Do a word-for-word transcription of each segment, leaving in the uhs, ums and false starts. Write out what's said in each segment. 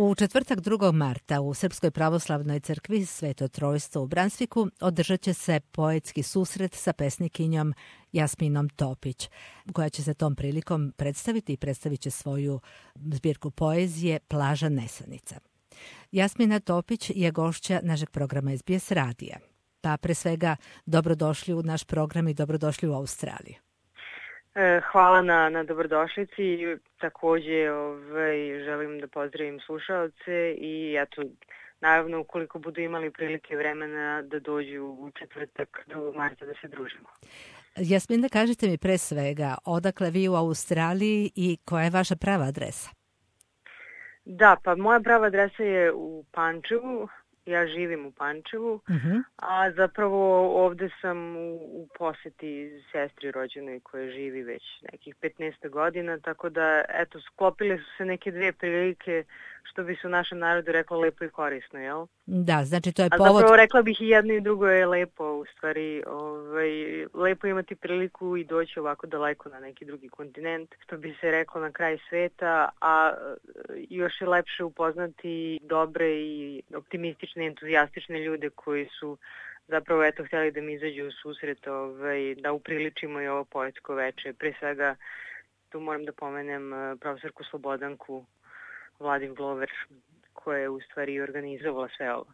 U četvrtak drugog marta u Srpskoj pravoslavnoj crkvi Sveto Trojstvo u Bransviku održat će se poetski susret sa pesnikinjom Jasminom Topić, koja će se tom prilikom predstaviti i predstavit će svoju zbirku poezije Plaža nesanica. Jasmina Topić je gošća našeg programa S B S radija. Pa pre svega dobrodošli u naš program i dobrodošli u Australiju. Hvala na, na dobrodošlici. Takođe ovaj, želim da pozdravim slušaoce i eto, naravno ukoliko budu imali prilike vremena da dođu u četvrtak drugog marta da se družimo. Jasmina, kažite mi pre svega odakle vi u Australiji i koja je vaša prava adresa? Da, pa moja prava adresa je u Pančevu. Ja živim u Pančevu, uh-huh. a zapravo ovde sam u, u poseti sestri rođenoj koja živi već nekih petnaest godina, tako da, eto, sklopile su se neke dve prilike, što bi se u našem narodu reklo lepo i korisno, jel? Da, znači to je a povod... A zapravo rekla bih i jedno i drugo je lepo, u stvari, ovaj, lepo imati priliku i doći ovako daleko na neki drugi kontinent, što bi se reklo na kraj sveta, a još je lepše upoznati dobre i optimistične, entuzijastične ljude koji su zapravo eto htjeli da mi izađu u susret, ovaj, da upriličimo i ovo poetsko veče. Pre svega tu moram da pomenem profesorku Slobodanku Vladin Glover, koja je u stvari organizovala sve ovo.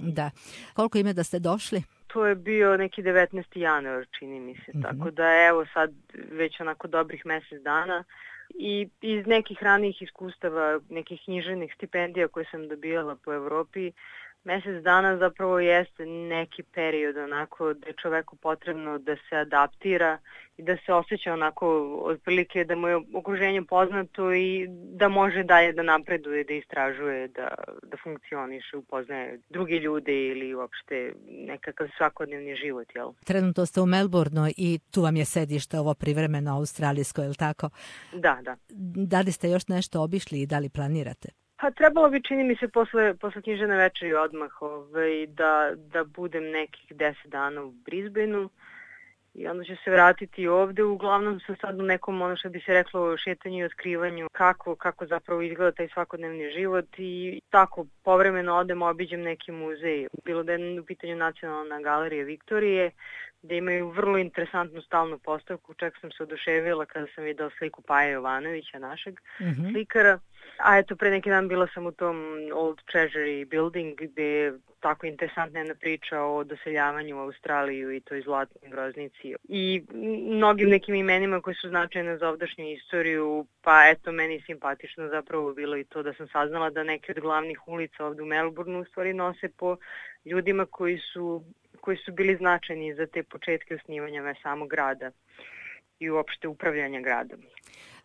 Da. Koliko ime da ste došli? To je bio neki devetnaesti januar, čini mi se. Mm-hmm. Tako da evo sad već onako dobrih mesec dana i iz nekih ranijih iskustava, nekih književnih stipendija koje sam dobijala po Evropi, mesec dana zapravo jeste neki period onako da je čoveku potrebno da se adaptira i da se osjeća onako otprilike da mu je okruženje poznato i da može dalje da napreduje, da istražuje, da, da funkcioniše, upoznaje druge ljude ili uopšte nekakav svakodnevni život, jel? Trenutno ste u Melbourneu i tu vam je sedište ovo privremeno australijsko, je li tako? Da, da. Da li ste još nešto obišli i da li planirate? Pa trebalo bi, čini mi se, posle, posle književne večeri odmah ovaj, da, da budem nekih deset dana u Brisbaneu i onda ću se vratiti ovde. Uglavnom sam sad u nekom, ono što bi se reklo, šetanju i otkrivanju kako, kako zapravo izgleda taj svakodnevni život i tako povremeno odem, obiđem neki muzej. Bilo da je u pitanju Nacionalna galerija Viktorije, da imaju vrlo interesantnu stalnu postavku. Čak sam se oduševila kada sam videla sliku Paje Jovanovića, našeg mm-hmm. slikara. A eto, pre neki dan bila sam u tom Old Treasury Building gde je tako interesantna jedna priča o doseljavanju u Australiju i toj zlatnoj groznici. I mnogim nekim imenima koji su značajne za ovdašnju istoriju, pa eto, meni simpatično zapravo bilo i to da sam saznala da neke od glavnih ulica ovde u Melbourneu u stvari nose po ljudima koji su koji su bili značajni za te početke osnivanja samog grada i uopšte upravljanja gradom.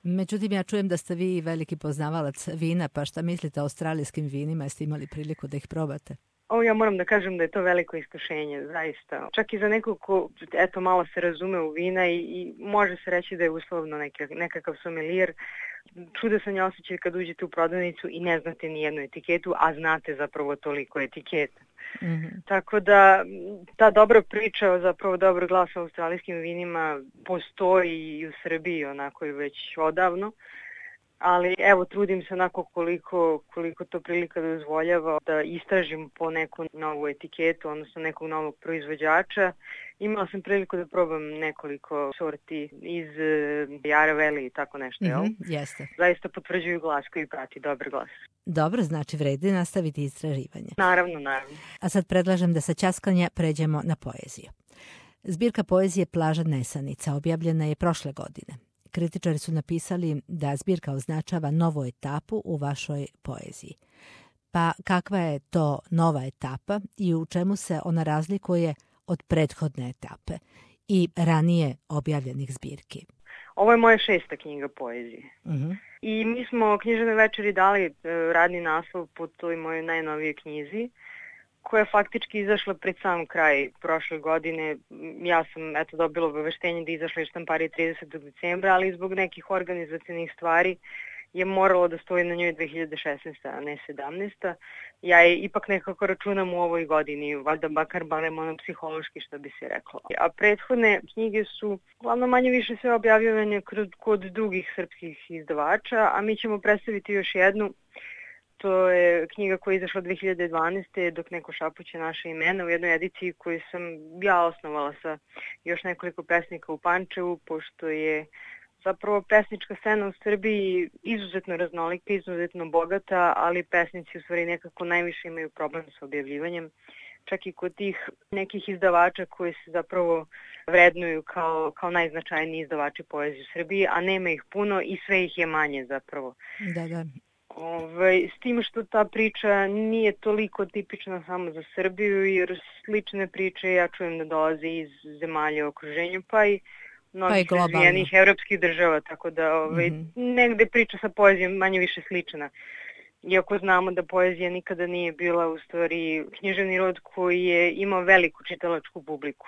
Međutim, ja čujem da ste vi veliki poznavalac vina, pa šta mislite o australijskim vinima? Jeste imali priliku da ih probate? O, ja moram da kažem da je to veliko iskušenje, zaista. Čak i za nekog ko, eto, malo se razume u vina i, i može se reći da je uslovno neka, nekakav somelijer. Čudesan je osjećaj kad uđete u prodavnicu i ne znate ni jednu etiketu, a znate zapravo toliko etiketa. Mm-hmm. Tako da ta dobra priča, zapravo dobar glas o australijskim vinima postoji i u Srbiji onako i već odavno. Ali evo, trudim se onako koliko, koliko to prilika dozvoljava da istražim po neku novu etiketu, odnosno nekog novog proizvođača. Imala sam priliku da probam nekoliko sorti iz Yarra Valley i tako nešto, jel? Mm-hmm, jeste. Zaista potvrđuju glas koji prati dobar glas. Dobro, znači vredi nastaviti istraživanje. Naravno, naravno. A sad predlažem da sa ćaskanja pređemo na poeziju. Zbirka poezije Plaža nesanica objavljena je prošle godine. Kritičari su napisali da zbirka označava novu etapu u vašoj poeziji. Pa kakva je to nova etapa i u čemu se ona razlikuje od prethodne etape i ranije objavljenih zbirki? Ovo je moja šesta knjiga poezije. Uh-huh. I mi smo književnoj večeri dali radni naslov po toj mojoj najnovijoj knjizi, koja je faktički izašla pred sam kraj prošle godine. Ja sam eto dobila obaveštenje da izašla iz štamparije tridesetog decembra, ali zbog nekih organizacijnih stvari je moralo da stoji na njoj dve hiljade šesnaesta. a ne sedamnaesta. Ja je ipak nekako računam u ovoj godini, valjda bakar barem ono psihološki, što bi se reklo. A prethodne knjige su uglavnom manje više sve objavljivanje kod drugih srpskih izdavača, a mi ćemo predstaviti još jednu To je knjiga koja je izašla dve hiljade dvanaeste. Dok neko šapuće naše imena, u jednoj ediciji koju sam ja osnovala sa još nekoliko pesnika u Pančevu, pošto je zapravo pesnička scena u Srbiji izuzetno raznolika, izuzetno bogata, ali pesnici u stvari nekako najviše imaju problem sa objavljivanjem. Čak i kod tih nekih izdavača koji se zapravo vrednuju kao, kao najznačajniji izdavači poezije u Srbiji, a nema ih puno i sve ih je manje zapravo. Da, da. Ove, s tim što ta priča nije toliko tipična samo za Srbiju, jer slične priče ja čujem da dolaze iz zemalja u okruženju, pa i mnogih pa razvijenih evropskih država, tako da ove, mm-hmm. negde priča sa poezijom manje više slična. Iako znamo da poezija nikada nije bila u stvari književni rod koji je imao veliku čitalačku publiku.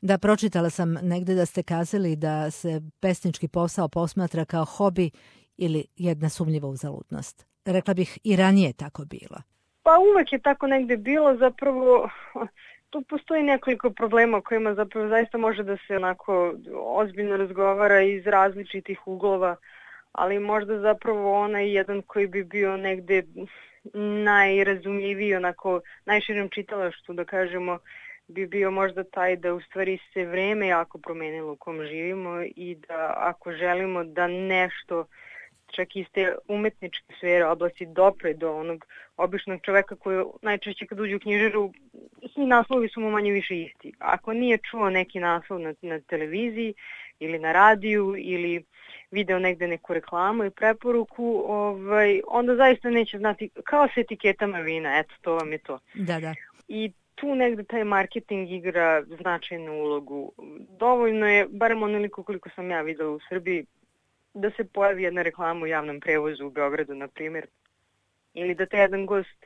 Da, pročitala sam negde da ste kazali da se pesnički posao posmatra kao hobi ili jedna sumnjiva uzaludnost. Rekla bih i ranije tako bilo. Pa uvek je tako negde bilo, zapravo tu postoji nekoliko problema o kojima zapravo zaista može da se onako ozbiljno razgovara iz različitih uglova, ali možda zapravo onaj jedan koji bi bio negde najrazumljiviji, onako najširom čitalaštvu, da kažemo, bi bio možda taj da u stvari se vreme jako promenilo u kom živimo i da ako želimo da nešto čak iz te umetničke sfere oblasti dopre do onog običnog čoveka koji najčešće kad uđe u knjižaru, svi naslovi su mu manje više isti. Ako nije čuo neki naslov na, na televiziji ili na radiju ili video negde neku reklamu i preporuku, ovaj, onda zaista neće znati, kao s etiketama vina, eto, to vam je to. Da, da. I tu negde taj marketing igra značajnu ulogu. Dovoljno je, barem onoliko koliko sam ja videla u Srbiji, da se pojavi jedna reklama u javnom prevozu u Beogradu, na primjer, ili da te jedan gost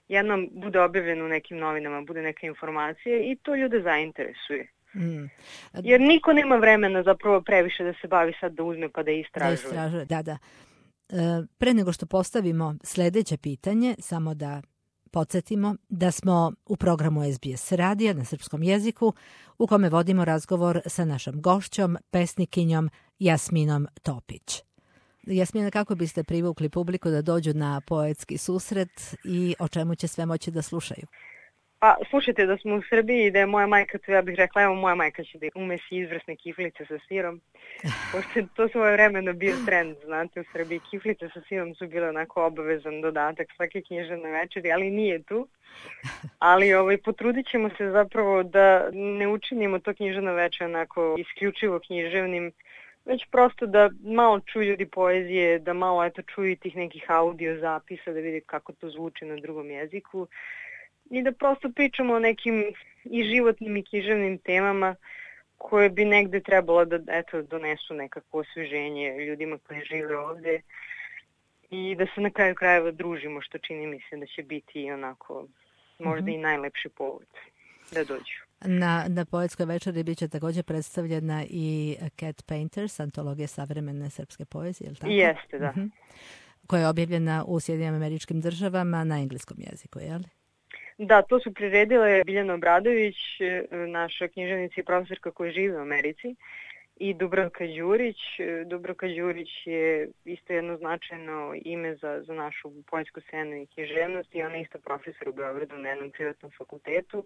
jednom bude objavljen u nekim novinama, bude neka informacija i to ljude zainteresuje. Mm. Jer niko nema vremena zapravo previše da se bavi sad da uzme pa da istražuje. Da istražuje, da, da. E, pre nego što postavimo sledeće pitanje, samo da podsjetimo da smo u programu S B S radija na srpskom jeziku u kome vodimo razgovor sa našom gošćom, pesnikinjom Jasminom Topić. Jasmina, kako biste privukli publiku da dođu na poetski susret i o čemu će sve moći da slušaju? Pa, slušajte, da smo u Srbiji i da je moja majka, to ja bih rekla, evo moja majka će da umesi izvrsne kiflice sa sirom. Pošto to svoje vremeno bio trend, znate, u Srbiji kiflice sa sirom su bile onako obavezan dodatak svake književne večeri, ali nije tu. Ali ovaj, potrudit ćemo se zapravo da ne učinimo to književno večer onako isključivo književnim, već prosto da malo čuju ljudi poezije, da malo eto čuju tih nekih audio zapisa, da vidi kako to zvuči na drugom jeziku. I da prosto pričamo o nekim i životnim i književnim temama koje bi negde trebalo da eto, donesu nekako osveženje ljudima koji žive ovde i da se na kraju krajeva družimo, što čini mi se da će biti onako možda mm-hmm. i najlepši povod da dođu. Na, na poetskoj večeri bit će također predstavljena i Cat Painters, antologija savremene srpske poezije, je li tako? Jeste, da. Mm-hmm. Koja je objavljena u Sjedinjenim Američkim Državama na engleskom jeziku, je li? Da, to su priredile Biljana Obradović, naša književnica i profesorka koja živi u Americi, i Dubravka Đurić. Dubravka Đurić je isto jedno značajno ime za, za našu poetsku scenu i književnost i ona je isto profesor u Beogradu na jednom privatnom fakultetu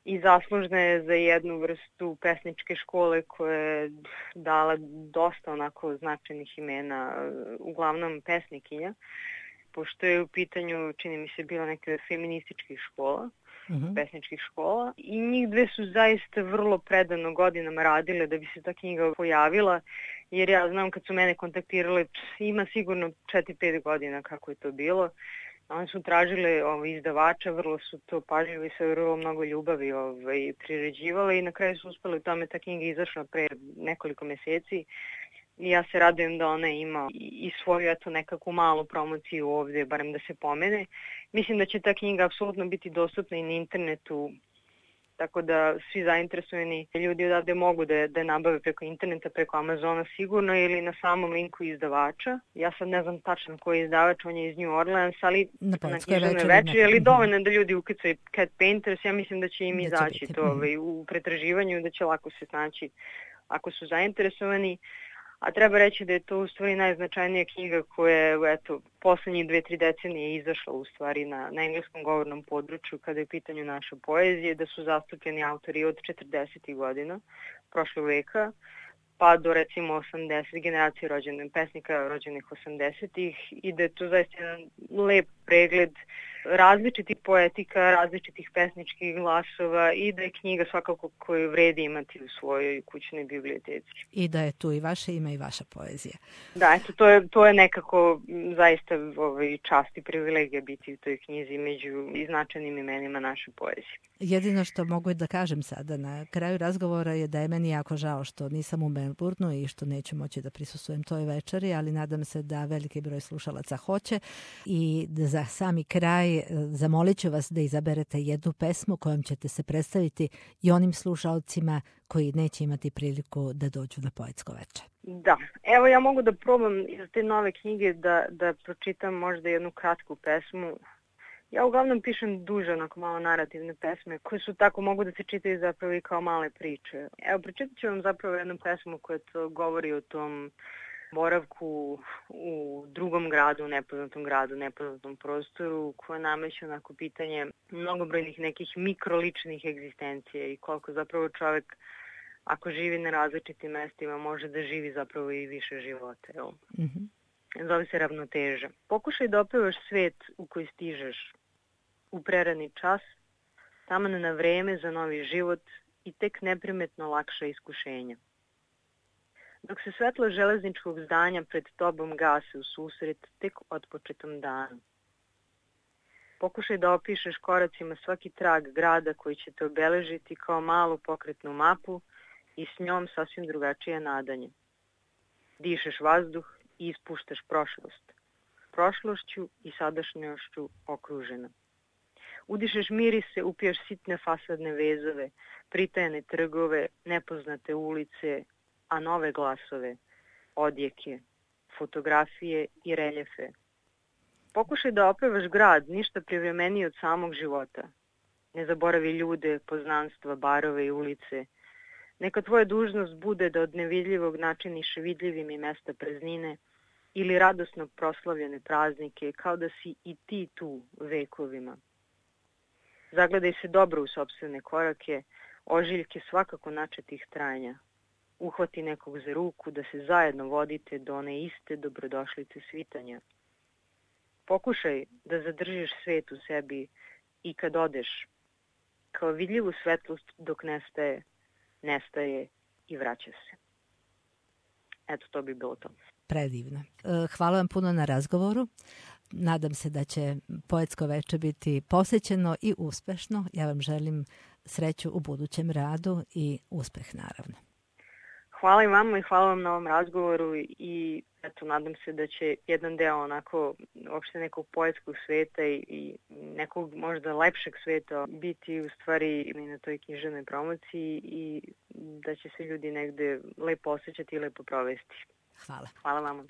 i zaslužna je za jednu vrstu pesničke škole koja je dala dosta onako značajnih imena, uglavnom pesnikinja, pošto je u pitanju, čini mi se, bila neka feminističkih škola, uh-huh. pesničkih škola. I njih dve su zaista vrlo predano godinama radile da bi se ta knjiga pojavila, jer ja znam kad su mene kontaktirale, ima sigurno četiri pet godina kako je to bilo. Oni su tražile ovaj, izdavača, vrlo su to pažljivo i sa vrlo mnogo ljubavi ovaj, priređivale i na kraju su uspeli u tome, ta knjiga izašla pre nekoliko meseci. I ja se radujem da ona ima i svoju eto nekakvu malu promociju ovde, barem da se pomene. Mislim da će ta knjiga apsolutno biti dostupna i na internetu, tako da svi zainteresovani ljudi odavde mogu da, da je nabave preko interneta, preko Amazona sigurno ili na samom linku izdavača. Ja sad ne znam tačno koji je izdavač, on je iz New Orleans, ali na, na književnoj večeri, ali dovoljno da ljudi uklicaju Cat Painters, ja mislim da će im izaći će to ovaj, u pretraživanju, da će lako se snaći ako su zainteresovani. A treba reći da je to u stvari najznačajnija knjiga koja je eto, poslednjih dve, tri decenije izašla u stvari na, na engleskom govornom području kada je u pitanju naše poezije, da su zastupljeni autori od četrdesetih godina prošlog veka, pa do recimo osamdeset generacije rođenih pesnika rođenih osamdesetih i da je to zaista jedan lep pregled različitih poetika, različitih pesničkih glasova i da je knjiga svakako koju vredi imati u svojoj kućnoj biblioteci. I da je tu i vaše ime i vaša poezija. Da, eto, to je, to je nekako zaista ovaj, čast i privilegija biti u toj knjizi među značajnim imenima naše poezije. Jedino što mogu da kažem sada na kraju razgovora je da je meni jako žao što nisam u Melbourneu i što neću moći da prisustvujem toj večeri, ali nadam se da veliki broj slušalaca hoće i da za sami kraj zamolit ću vas da izaberete jednu pesmu kojom ćete se predstaviti i onim slušalcima koji neće imati priliku da dođu na poetsko veče. Da, evo ja mogu da probam iz te nove knjige da, da pročitam možda jednu kratku pesmu. Ja uglavnom pišem duže, onako malo narativne pesme koje su tako, mogu da se čitaju zapravo i kao male priče. Evo, pročitat ću vam zapravo jednu pesmu koja to govori o tom boravku u drugom gradu, nepoznatom gradu, nepoznatom prostoru, koja nameće onako pitanje mnogobrojnih nekih mikroličnih egzistencija i koliko zapravo čovek, ako živi na različitim mestima, može da živi zapravo i više života. Evo. Mm-hmm. Zove se Ravnoteža. Pokušaj da opevaš svet u koji stižeš u prerani čas, taman na vreme za novi život i tek neprimetno lakša iskušenja. Dok se svetlo železničkog zdanja pred tobom gase u susret tek otpočetom danu. Pokušaj da opišeš koracima svaki trag grada koji će te obeležiti kao malu pokretnu mapu i s njom sasvim drugačije nadanje. Dišeš vazduh i ispuštaš prošlost. Prošlošću i sadašnjošću okružena. Udišeš mirise, upiješ sitne fasadne vezove, pritajene trgove, nepoznate ulice, a nove glasove, odjeke, fotografije i reljefe. Pokušaj da opevaš grad, ništa privremeniji od samog života. Ne zaboravi ljude, poznanstva, barove i ulice. Neka tvoja dužnost bude da od nevidljivog načiniš vidljivim i mesta praznine ili radosno proslavljene praznike, kao da si i ti tu vekovima. Zagledaj se dobro u sopstvene korake, ožiljke svakako načetih trajanja. Uhvati nekog za ruku da se zajedno vodite do one iste dobrodošlice svitanja. Pokušaj da zadržiš svet u sebi i kad odeš, kao vidljivu svetlost dok nestaje, nestaje i vraća se. Eto, to bi bilo to. Predivno. Hvala vam puno na razgovoru. Nadam se da će poetsko veče biti posjećeno i uspešno. Ja vam želim sreću u budućem radu i uspeh naravno. Hvala i vama i hvala vam na ovom razgovoru i eto, nadam se da će jedan deo onako uopšte nekog poetskog sveta i, i nekog možda lepšeg sveta biti u stvari i na toj književnoj promociji i da će se ljudi negde lepo osjećati i lepo provesti. Hvala. Hvala vama.